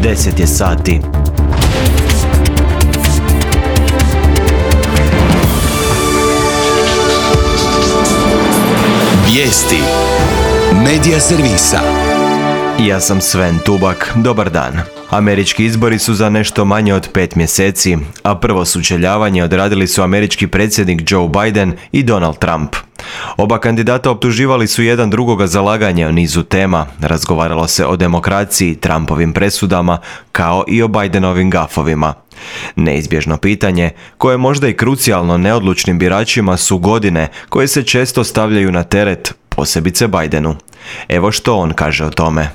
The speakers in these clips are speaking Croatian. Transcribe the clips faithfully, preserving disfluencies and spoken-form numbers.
deset je sati. Vijesti Medija servisa. Ja sam Sven Tubak, dobar dan. Američki izbori su za nešto manje od pet mjeseci, a prvo sučeljavanje odradili su američki predsjednik Joe Biden i Donald Trump. Oba kandidata optuživali su jedan drugoga za laganje o nizu tema. Razgovaralo se o demokraciji, Trumpovim presudama, kao i o Bidenovim gafovima. Neizbježno pitanje, koje je možda i krucijalno neodlučnim biračima, su godine koje se često stavljaju na teret, posebice Bidenu. Evo što on kaže o tome.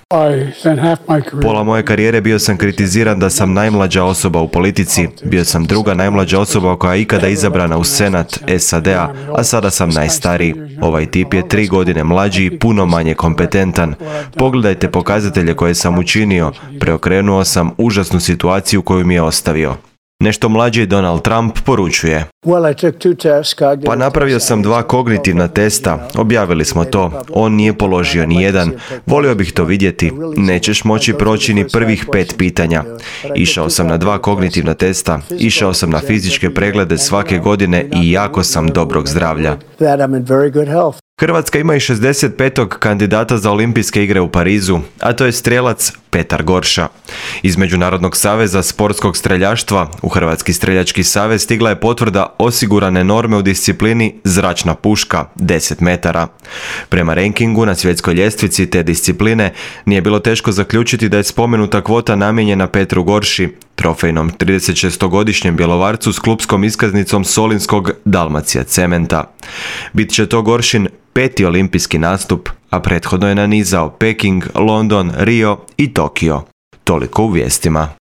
Pola moje karijere bio sam kritiziran da sam najmlađa osoba u politici. Bio sam druga najmlađa osoba koja je ikada izabrana u Senat S A D-a, a sada sam najstariji. Ovaj tip je tri godine mlađi i puno manje kompetentan. Pogledajte pokazatelje koje sam učinio. Preokrenuo sam užasnu situaciju koju mi je ostavio. Nešto mlađi Donald Trump poručuje. Pa napravio sam dva kognitivna testa, objavili smo to, on nije položio ni jedan, volio bih to vidjeti, nećeš moći proći ni prvih pet pitanja. Išao sam na dva kognitivna testa, išao sam na fizičke preglede svake godine i jako sam dobrog zdravlja. Hrvatska ima i šezdeset petog kandidata za olimpijske igre u Parizu, a to je strijelac Petar Gorša. Iz Međunarodnog saveza sportskog streljaštva u Hrvatski streljački savez stigla je potvrda osigurane norme u disciplini zračna puška deset metara. Prema rankingu na svjetskoj ljestvici te discipline nije bilo teško zaključiti da je spomenuta kvota namijenjena Petru Gorši, trofejnom tridesetšestogodišnjem Bjelovarcu s klupskom iskaznicom Solinskog Dalmacija Cementa. Bit će to Goršin peti olimpijski nastup, a prethodno je nanizao Peking, London, Rio i Tokio. Toliko u vijestima.